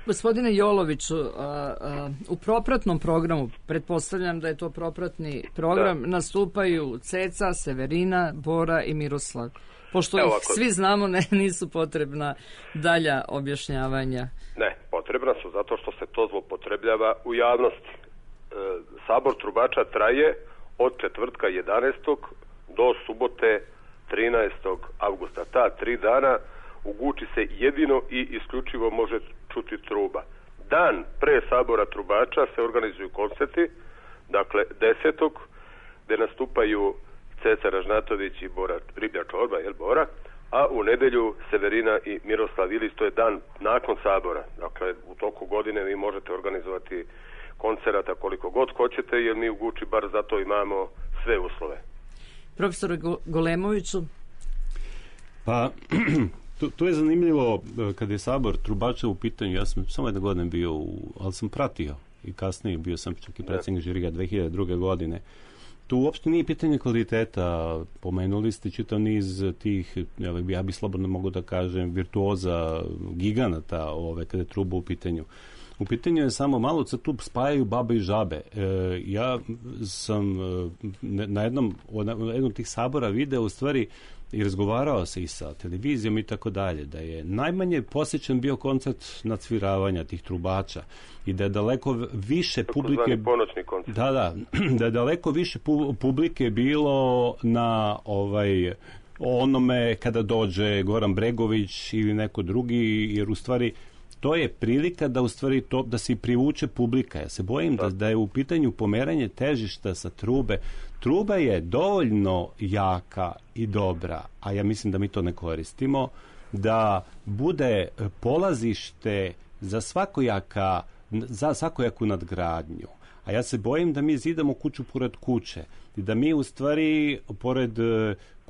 Gospodine Joloviću, a, a, u propratnom programu, pretpostavljam da je to propratni program, da. nastupaju Ceca, Severina, Bora i Miroslav. Pošto Evo, ih ako... svi znamo, ne, nisu potrebna dalja objašnjavanja. Ne, potrebna su zato što se to zloupotrebljava u javnosti. E, Sabor trubača traje od četvrtka jedanaestog do subote trinaestog avgusta. Ta tri dana u Guči se jedino i isključivo može čuti truba. Dan pre Sabora trubača se organizuju koncerti, dakle desetog gde nastupaju Ceca Ražnatović i Bora Riblja Čorba, jel Bora, a u nedelju Severina i Miroslav Ilić, to je dan nakon Sabora. Dakle, u toku godine vi možete organizovati koncerata koliko god hoćete, jer mi u Guči bar zato imamo sve uslove. Profesor Golemoviću? Pa, tu, tu je zanimljivo, kada je Sabor trubača u pitanju, ja sam samo jedne godine bio, u, ali sam pratio i kasnije bio sam čak i predsjednik žirija dve hiljade druge. godine. Tu uopšte nije pitanje kvaliteta, pomenuli ste čitav niz tih, ja bi slobodno mogu da kažem, virtuoza, giganata ove, kada je truba u pitanju. U pitanju je samo malo se tu spajaju babe i žabe. E, ja sam na jednom, na jednom tih sabora video u stvari i razgovarao se i sa televizijom i tako dalje, da je najmanje posjećen bio koncert nadsviravanja tih trubača i da je daleko više publike... ponoćni koncert. Da, da, da je daleko više pu, publike bilo na ovaj onome kada dođe Goran Bregović ili neko drugi, jer u stvari to je prilika da u stvari to, da se privuče publika. Ja se bojim da, da je u pitanju pomeranje težišta sa trube. Truba je dovoljno jaka i dobra, a ja mislim da mi to ne koristimo, da bude polazište za svakojaka, za svakojaku nadgradnju. A ja se bojim da mi zidamo kuću pored kuće i da mi u stvari pored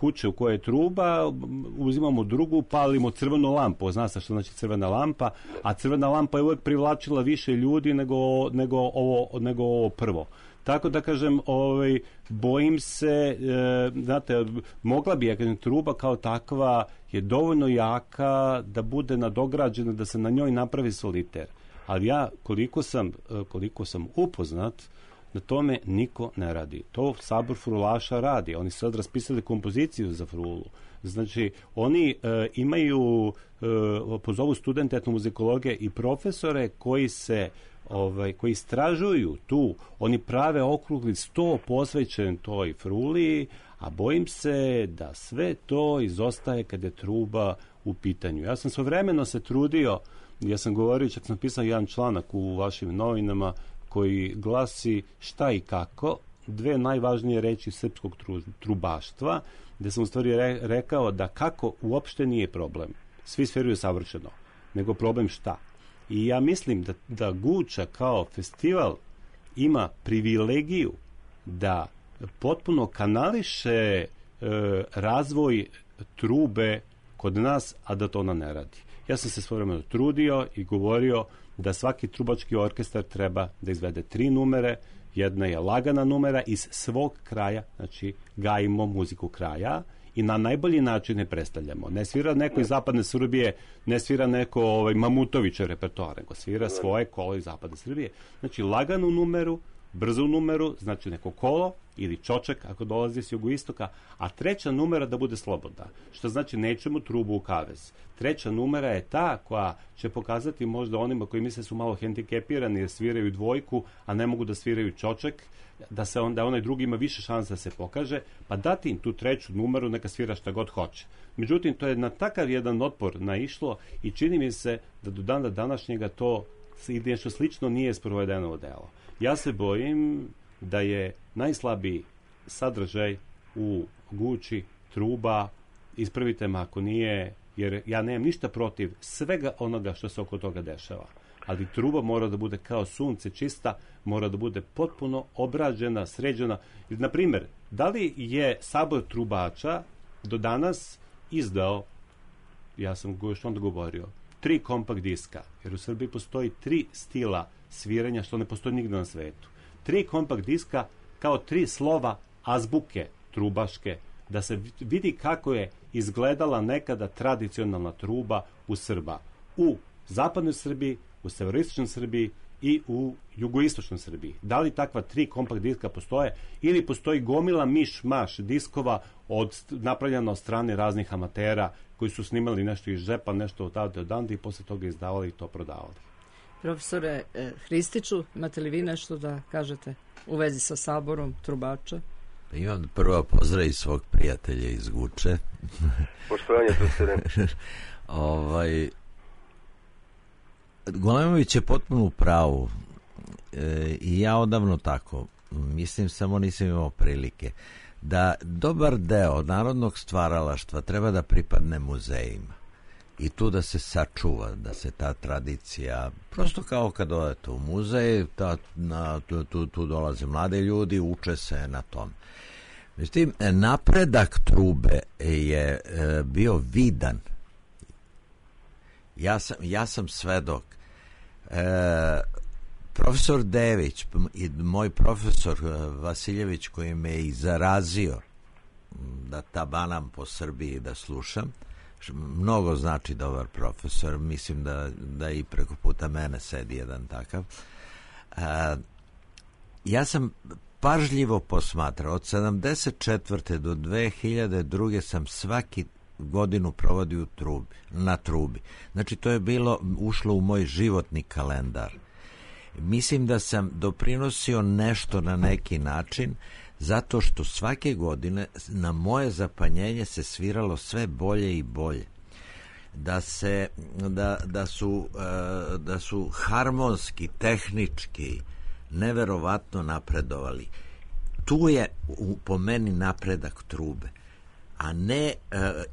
kuće u kojoj je truba uzimamo drugu, palimo crvenu lampu. Zna se što znači crvena lampa, a crvena lampa je uvijek privlačila više ljudi nego, nego, ovo, nego ovo prvo. Tako da kažem, ovaj, bojim se, e, znate, mogla bi, ja kažem, truba kao takva je dovoljno jaka da bude nadograđena, da se na njoj napravi soliter. Ali ja, koliko sam, koliko sam upoznat, na tome niko ne radi. To Sabor frulaša radi. Oni su sad raspisali kompoziciju za frulu. Znači, oni e, imaju, e, pozovu studente etnomuzikologije i profesore koji se ovaj, koji istražuju tu, oni prave okrugli sto posvećen toj fruli, a bojim se da sve to izostaje kad je truba u pitanju. Ja sam svojevremeno se trudio, ja sam govorio, čak sam pisao jedan članak u vašim novinama koji glasi šta i kako, dve najvažnije reči srpskog tru, trubaštva, gde sam u stvari re, rekao da kako uopšte nije problem. Svi sferuju savršeno, nego problem šta. I ja mislim da, da Guča kao festival ima privilegiju da potpuno kanališe e, razvoj trube kod nas, a da to ona ne radi. Ja sam se svojevremeno trudio i govorio da svaki trubački orkestar treba da izvede tri numere. Jedna je lagana numera iz svog kraja, znači gajimo muziku kraja i na najbolji način ne predstavljamo. Ne svira neko iz zapadne Srbije, ne svira neko ovaj, Mamutovića repertoar, nego svira svoje kolo iz zapadne Srbije. Znači laganu numeru, brzu numeru, znači neko kolo ili čočak ako dolazi s jugoistoka, a treća numera da bude slobodna, što znači nećemo trubu u kavez. Treća numera je ta koja će pokazati možda onima koji misle su malo hendikepirani jer sviraju dvojku, a ne mogu da sviraju čočak, da se onda onaj drugi ima više šansa da se pokaže, pa dati im tu treću numeru, neka svira šta god hoće. Međutim, to je na takav jedan otpor naišlo i čini mi se da do dana današnjega to i nešto slično nije sprovedeno u delo. Ja se bojim da je najslabiji sadržaj u Guči truba, ispravite me ako nije, jer ja nemam ništa protiv svega onoga što se oko toga dešava. Ali truba mora da bude kao sunce čista, mora da bude potpuno obrađena, sređena. Na primjer, da li je Sabor trubača do danas izdao, ja sam još onda govorio, tri kompakt diska, jer u Srbiji postoji tri stila sviranja što ne postoji nigde na svetu. Tri kompakt diska kao tri slova azbuke trubaške, da se vidi kako je izgledala nekada tradicionalna truba u Srba. U zapadnoj Srbiji, u severoistočnoj Srbiji i u jugoistočnoj Srbiji. Da li takva tri kompakt diska postoje ili postoji gomila miš-maš diskova od, napravljena od strane raznih amatera koji su snimali nešto iz džepa, nešto od tada od anda i posle toga izdavali i to prodavali. Profesore eh, Hristiću, imate li vi nešto da kažete u vezi sa Saborom trubača? Imam prvo pozdrav iz svog prijatelja iz Guče. Poštovanje, profesore. ovaj, Golemović je potpuno u pravu e, i ja odavno tako. Mislim, samo nisam imao prilike da dobar deo narodnog stvaralaštva treba da pripadne muzejima i tu da se sačuva, da se ta tradicija, prosto kao kad odete u muzej, ta, na, tu, tu, tu dolaze mlade ljudi, uče se na tom. Međutim, napredak trube je e, bio vidan. Ja sam, ja sam svedok. E, profesor Dević i moj profesor Vasiljević koji me i zarazio da tabanam po Srbiji da slušam, mnogo znači dobar profesor, mislim da, da i preko puta mene sedi jedan takav. E, ja sam pažljivo posmatrao. Od sedamdeset četvrte do dve hiljade druge sam svaki godinu provodio u trubi, na trubi. Znači, to je bilo, ušlo u moj životni kalendar. Mislim da sam doprinosio nešto na neki način, zato što svake godine na moje zapanjenje se sviralo sve bolje i bolje. Da se da, da su da su harmonski, tehnički neverovatno napredovali. Tu je u, po meni napredak trube, a ne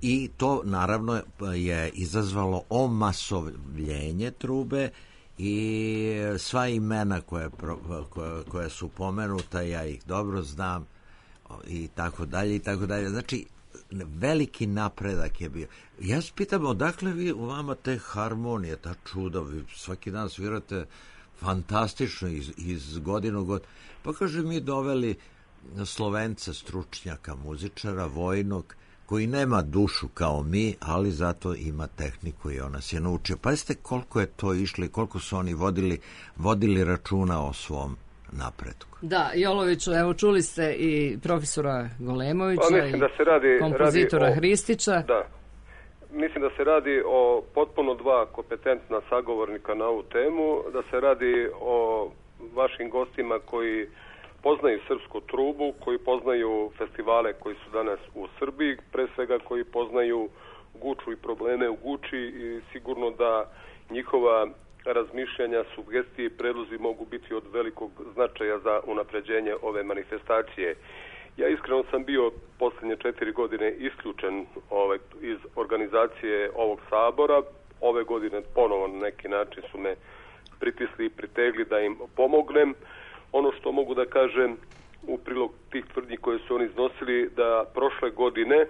i to naravno je izazvalo omasovljenje trube i sva imena koje, koje, koje su pomenuta, ja ih dobro znam i tako dalje i tako dalje. Znači, veliki napredak je bio. Ja se pitam, odakle vi u vama te harmonije, ta čuda, vi svaki dan svirate fantastično iz, iz godinu god. Pa kaže, mi doveli Slovenca, stručnjaka, muzičara, vojnog, koji nema dušu kao mi, ali zato ima tehniku i on nas je naučio. Pazite koliko je to išlo i koliko su oni vodili, vodili računa o svom napretku. Da, Joloviću, evo čuli ste i profesora Golemovića i da se radi, kompozitora radi o, Hristića. Da, mislim da se radi o potpuno dva kompetentna sagovornika na ovu temu, da se radi o vašim gostima koji poznaju srpsku trubu, koji poznaju festivale koji su danas u Srbiji, pre svega koji poznaju Guču i probleme u Guči i sigurno da njihova razmišljanja, sugestije i predlozi mogu biti od velikog značaja za unapređenje ove manifestacije. Ja iskreno sam bio posljednje četiri godine isključen ovaj, iz organizacije ovog sabora. Ove godine ponovo na neki način su me pritisli i pritegli da im pomognem. Ono što mogu da kažem u prilog tih tvrdnji koje su oni iznosili, da prošle godine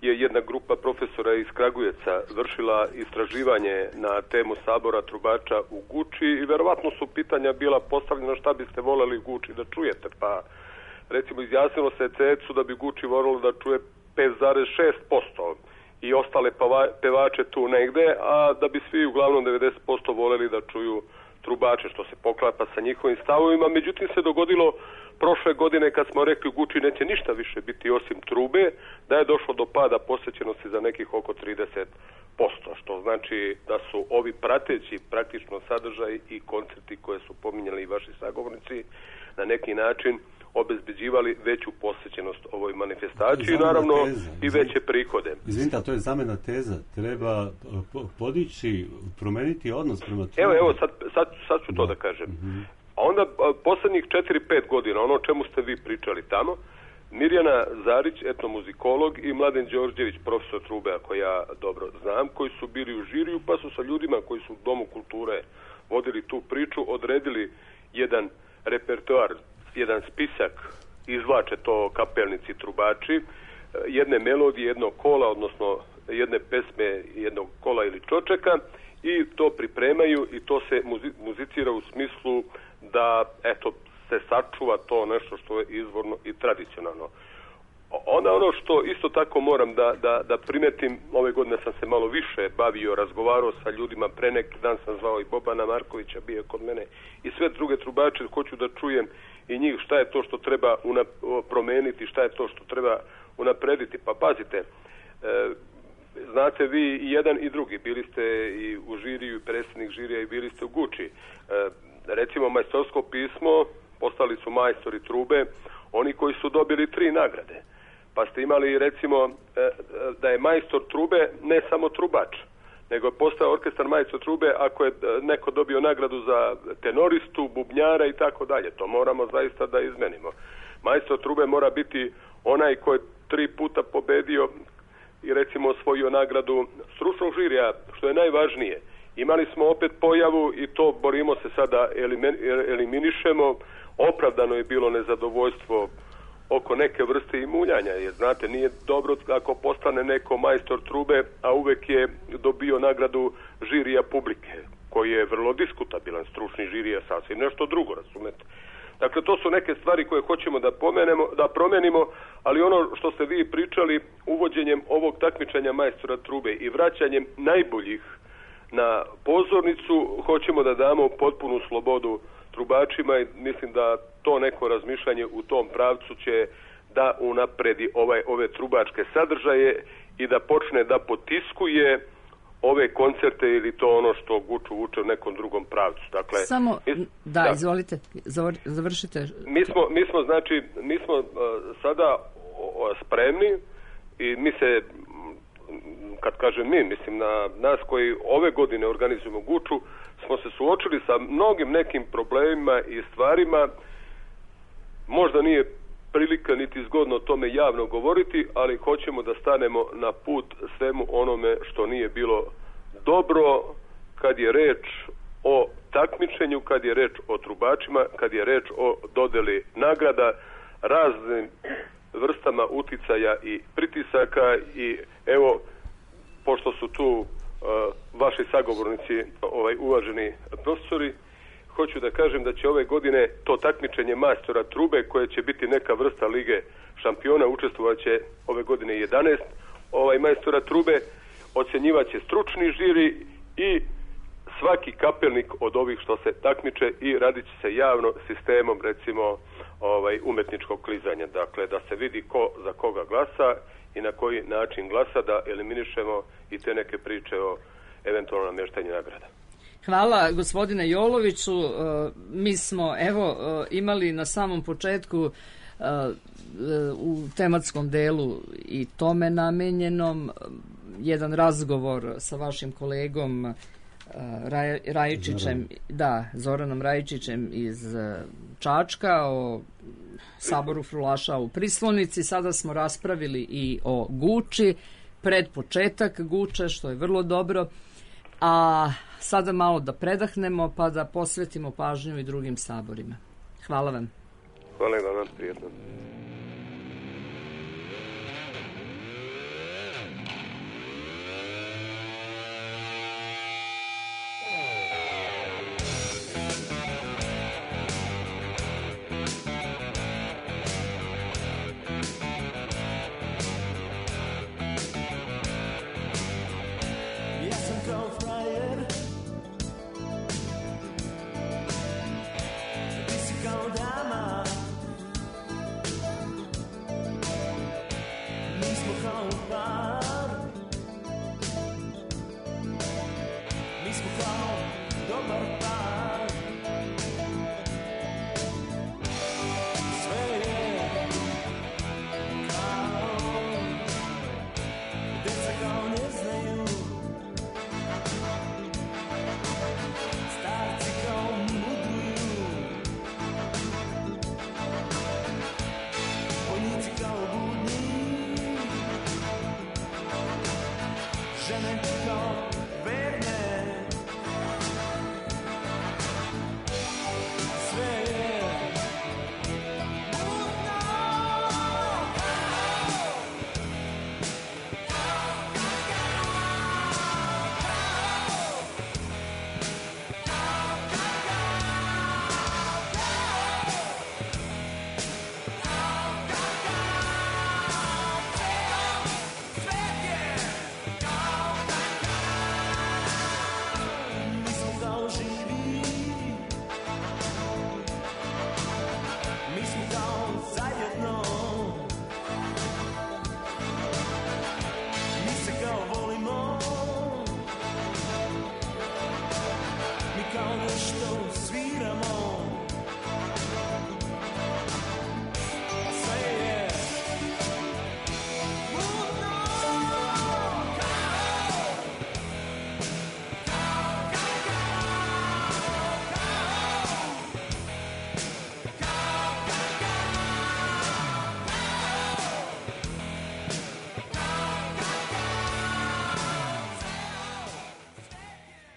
je jedna grupa profesora iz Kragujevca vršila istraživanje na temu sabora trubača u Guči i verovatno su pitanja bila postavljena šta biste voljeli u Guči da čujete. Pa recimo izjasnilo se C E C U da bi Guči volilo da čuje pet zarez šest posto i ostale pevače tu negde, a da bi svi uglavnom devedeset posto voljeli da čuju trubače, što se poklapa sa njihovim stavovima. Međutim, se dogodilo prošle godine kad smo rekli u Guči neće ništa više biti osim trube, da je došlo do pada posjećenosti za nekih oko trideset posto, što znači da su ovi prateći praktično sadržaj i koncerti koje su pominjali i vaši sagovornici na neki način obezbeđivali veću posjećenost ovoj manifestaciji i naravno teza. I veće prihode. Izvinite, a to je zamena teza. Treba podići, promeniti odnos prema trubi. Evo, evo, sad, sad, sad ću da. to da kažem. Mm-hmm. A onda posljednjih četiri pet godina, ono o čemu ste vi pričali tamo, Mirjana Zarić, etnomuzikolog, i Mladen Đorđević, profesor trube, ako ja dobro znam, koji su bili u žiriju, pa su sa ljudima koji su u Domu kulture vodili tu priču, odredili jedan repertoar, jedan spisak, izvlače to kapelnici trubači, jedne melodije, jednog kola, odnosno jedne pesme, jednog kola ili čočeka, i to pripremaju i to se muzi- muzicira u smislu da, eto, se sačuva to nešto što je izvorno i tradicionalno. Onda ono što isto tako moram da, da, da primetim, ove godine sam se malo više bavio, razgovarao sa ljudima, pre neki dan sam zvao i Bobana Markovića, bio je kod mene, i sve druge trubače, hoću da čujem i njih šta je to što treba unap- promeniti, šta je to što treba unaprediti. Pa pazite, e, znate vi i jedan i drugi, bili ste i u žiriju, i predsjednik žirija, i bili ste u Guči. E, recimo majstorsko pismo, postali su majstori trube, oni koji su dobili tri nagrade. Pa ste imali recimo da je majstor trube ne samo trubač, nego je postao orkestar majstor trube ako je neko dobio nagradu za tenoristu, bubnjara i tako dalje. To moramo zaista da izmenimo. Majstor trube mora biti onaj koji je tri puta pobedio i recimo osvojio nagradu stručnog žirija, što je najvažnije. Imali smo opet pojavu i to borimo se sada, eliminišemo. Opravdano je bilo nezadovoljstvo oko neke vrste imuljanja, jer znate, nije dobro ako postane neko majstor trube, a uvek je dobio nagradu žirija publike, koji je vrlo diskutabilan, stručni žirija sasvim nešto drugo, razumete. Dakle, to su neke stvari koje hoćemo da pomenemo, da promenimo, ali ono što ste vi pričali, uvođenjem ovog takmičenja majstora trube i vraćanjem najboljih na pozornicu, hoćemo da damo potpunu slobodu trubačima i mislim da to neko razmišljanje u tom pravcu će da unapredi ovaj, ove trubačke sadržaje i da počne da potiskuje ove koncerte ili to ono što Guču uče u nekom drugom pravcu. Dakle, Samo, mi, da, da, izvolite, završite. Mi smo, mi smo znači, mi smo uh, sada uh, spremni i mi se, kad kažem mi, mislim na nas koji ove godine organizujemo Guču, smo se suočili sa mnogim nekim problemima i stvarima. Možda nije prilika niti zgodno o tome javno govoriti, ali hoćemo da stanemo na put svemu onome što nije bilo dobro kad je reč o takmičenju, kad je reč o trubačima, kad je reč o dodeli nagrada, raznim vrstama uticaja i pritisaka. I evo, pošto su tu uh, vaši sagovornici, ovaj, uvaženi profesori, hoću da kažem da će ove godine to takmičenje majstora trube, koje će biti neka vrsta lige šampiona, učestvovat će ove godine jedanaest ovaj majstora trube, ocjenjivaće stručni žiri i svaki kapelnik od ovih što se takmiče i radit će se javno sistemom, recimo, ovaj umetničkog klizanja. Dakle, da se vidi ko za koga glasa i na koji način glasa, da eliminišemo i te neke priče o eventualno namještanju nagrada. Hvala gospodine Joloviću. Mi smo evo imali na samom početku u tematskom delu i tome namenjenom jedan razgovor sa vašim kolegom Raj, Rajičićem, da, Zoranom Rajičićem iz Čačka o saboru frulaša u Prislonici. Sada smo raspravili i o Guči, pred početak Guče, što je vrlo dobro. A sada malo da predahnemo pa da posvetimo pažnju i drugim saborima. Hvala vam. Hvala vam, prijetno.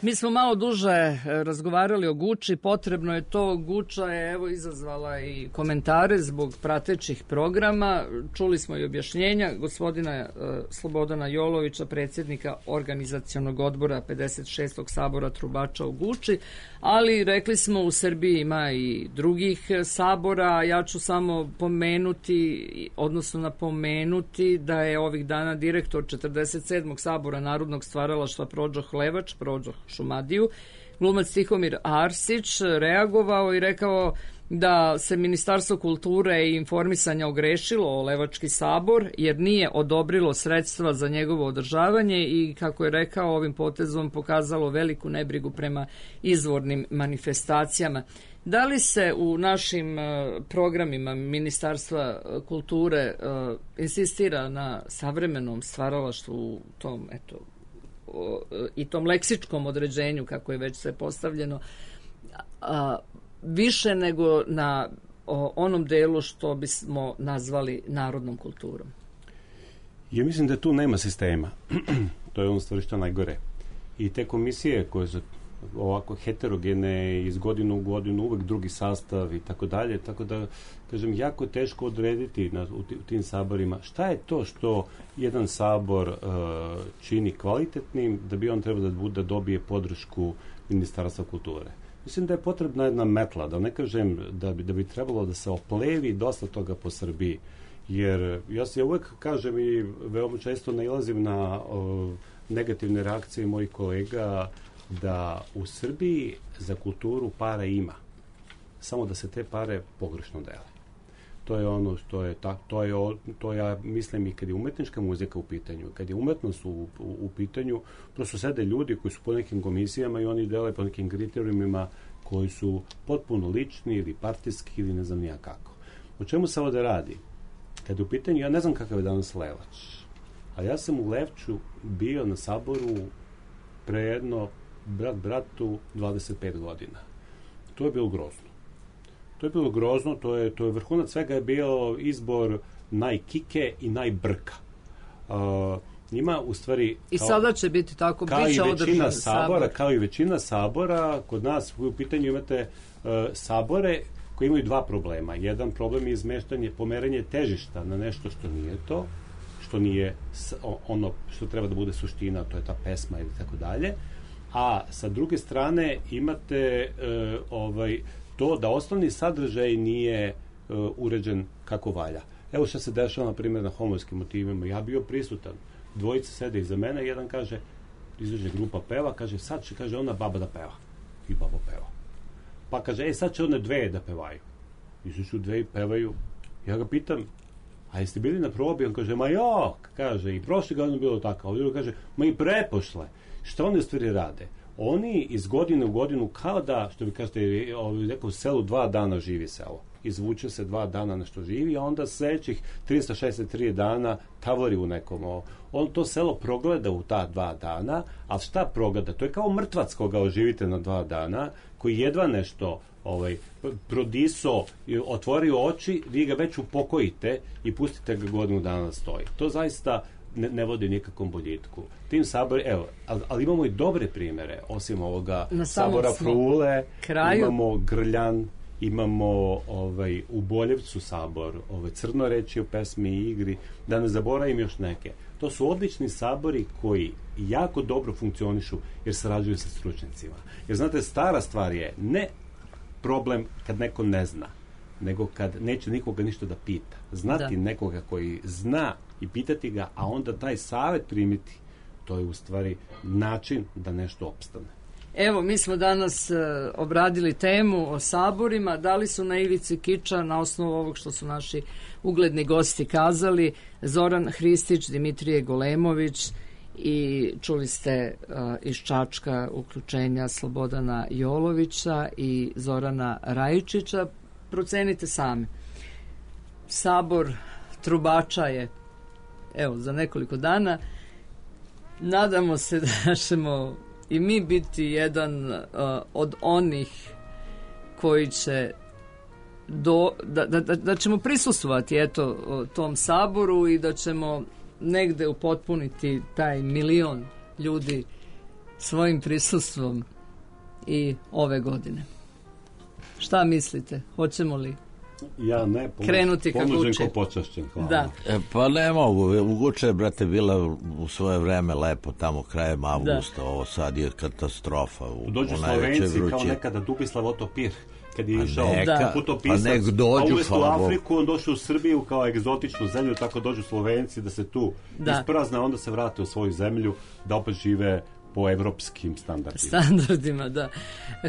Mi smo malo duže razgovarali o Guči, potrebno je to. Guča je evo izazvala i komentare zbog pratećih programa. Čuli smo i objašnjenja gospodina uh, Slobodana Jolovića, predsjednika organizacionog odbora pedeset šestog sabora trubača u Guči, ali rekli smo u Srbiji ima i drugih sabora. Ja ću samo pomenuti, odnosno napomenuti da je ovih dana direktor četrdeset sedmog sabora narodnog stvaralaštva Prođoh Levač, Prođoh Šumadiju, glumac Tihomir Arsić, reagovao i rekao da se Ministarstvo kulture i informisanja ogrešilo o Levački sabor jer nije odobrilo sredstva za njegovo održavanje i, kako je rekao, ovim potezom pokazalo veliku nebrigu prema izvornim manifestacijama. Da li se u našim programima Ministarstva kulture insistira na savremenom stvaralaštvu u tom, eto, i tom leksičkom određenju, kako je već sve postavljeno, a, više nego na o, onom delu što bismo nazvali narodnom kulturom? Ja mislim da tu nema sistema. To je ono stvari što najgore. I te komisije koje su ovako heterogene iz godinu u godinu, uvek drugi sastav i tako dalje, tako da, kažem, jako teško odrediti na, u, u tim saborima šta je to što jedan sabor uh, čini kvalitetnim da bi on trebao da, bude, da dobije podršku Ministarstva kulture. Mislim da je potrebna jedna metla, da ne kažem da bi, da bi trebalo da se oplevi dosta toga po Srbiji, jer ja se uvek kažem i veoma često nailazim na uh, negativne reakcije mojih kolega da u Srbiji za kulturu para ima, samo da se te pare pogrešno dele. To je ono što je, ta, to je, to ja mislim i kad je umetnička muzika u pitanju, kad je umetnost u, u, u pitanju, prosto sede ljudi koji su po nekim komisijama i oni dele po nekim kriterijumima koji su potpuno lični ili partijski ili ne znam nija kako. O čemu se ovde radi? Kad je u pitanju, ja ne znam kakav je danas Levač, ali ja sam u Levču bio na saboru pre jedno brat bratu dvadeset pet godina. To je bilo grozno. To je bilo grozno, to je, to je vrhunac svega je bio izbor najkike i najbrka. Uh, njima u stvari... I kao, sada će biti tako, bit će održan sabor. Kao i većina sabora, kod nas u pitanju imate uh, sabore koji imaju dva problema. Jedan problem je izmeštanje, pomeranje težišta na nešto što nije to, što nije ono što treba da bude suština, to je ta pesma ili tako dalje. A sa druge strane imate uh, ovaj, to da osnovni sadržaj nije uh, uređen kako valja. Evo što se dešava, na primjer, na homorskim motivima. Ja bio prisutan. Dvojica sede iza mene, jedan kaže, izađe grupa peva, kaže, sad će, kaže, ona baba da peva. I baba peva. Pa kaže, e, sad će one dve da pevaju. Izađu dve i pevaju. Ja ga pitam, a jeste bili na probi? On kaže, ma jok, kaže, i prošle godine bilo tako. Ovdje kaže, ma i prepošle. Šta oni u stvari rade? Oni iz godine u godinu, kao da, što vi kažete, neko u selu dva dana živi selo. Izvuče se dva dana nešto živi, a onda sledećih trista šezdeset tri dana tavori u nekom. On to selo progleda u ta dva dana, a šta progleda? To je kao mrtvac koga oživite na dva dana, koji jedva nešto ovaj, prodiso, otvorio oči, vi ga već upokojite i pustite ga godinu dana da stoji. To zaista ne, ne vodi nikakvom boljitku. Tim sabor, evo, ali, ali imamo i dobre primere, osim ovoga sabora Frule, kraju. Imamo Grljan, imamo ovaj, u Boljevcu sabor, ovaj, Crnoreći u pesmi i igri, da ne zaboravim još neke. To su odlični sabori koji jako dobro funkcionišu jer sarađuju sa stručnjacima. Jer znate, stara stvar je ne problem kad neko ne zna, nego kad neće nikoga ništa da pita. Znati da. Nekoga koji zna i pitati ga, a onda taj savjet primiti, to je u stvari način da nešto opstane. Evo, mi smo danas uh, obradili temu o saborima, da li su na ivici kiča na osnovu ovog što su naši ugledni gosti kazali, Zoran Hristić, Dimitrije Golemović i čuli ste uh, iz Čačka uključenja Slobodana Jolovića i Zorana Rajičića. Procenite sami. Sabor trubača je evo za nekoliko dana. Nadamo se da ćemo i mi biti jedan uh, od onih koji će do, da, da, da ćemo prisustvovati eto tom saboru i da ćemo negde upotpuniti taj milion ljudi svojim prisustvom i ove godine. Šta mislite? Hoćemo li ja ne, pomoć, krenuti kako uče? Ko počašćen, hvala. Da. E, pa ne mogu, u Guče, brate, bila u svoje vreme lepo tamo krajem avgusta, da. Ovo sad je katastrofa. U, dođu u Slovenci kao nekada Dubislav Otopir, kad je išao neka, putopisac, pa nek dođu, a umjesto u Afriku on došao u Srbiju kao egzotičnu zemlju, tako dođu Slovenci da se tu da. isprazne, onda se vrate u svoju zemlju, da opet žive po evropskim standardima. Standardima, da.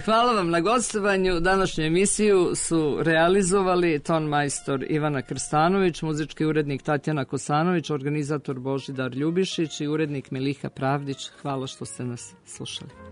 Hvala vam na gostovanju. Današnju emisiju su realizovali ton majstor Ivana Krstanović, muzički urednik Tatjana Kosanović, organizator Božidar Ljubišić i urednik Meliha Pravdić. Hvala što ste nas slušali.